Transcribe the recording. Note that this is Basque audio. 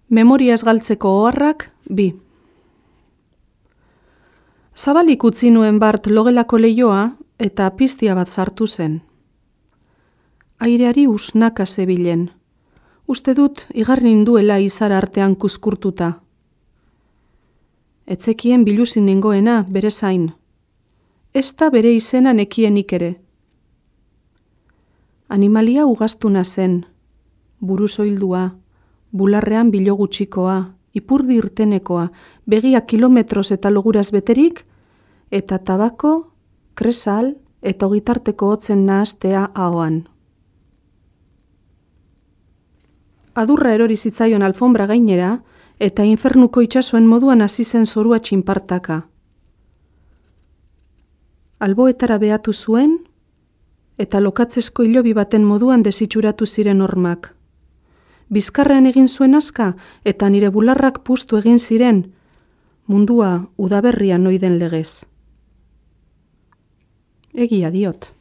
Memoria ez galtzeko oharrak, 2. Zabalik utzi nuen bart logelako leioa eta piztia bat sartu zen. Aireari usnaka zebilen. Uste dut igarri ninduela izar artean kuzkurtuta. Etzekien biluzin nengoena bere zain. Ez da bere izena nekienik ere. Animalia ugaztuna zen, buruzoildua, bularrean bilo gutxikoa, ipurdi irtenekoa, begia kilometroz eta loguraz beterik, eta tabako, kresal eta ogitarteko hotzen nahastea ahoan. Adurra erori zitzaion alfombra gainera, eta infernuko itsasoen moduan hasi zen zorua txinpartaka. Alboetara behatu zuen, eta lokatzesko hilobi baten moduan desitxuratu ziren hormak. Bizkarrean egin zuen aska, eta nire bularrak puztu egin ziren, mundua udaberrian oiden legez. Egia diot.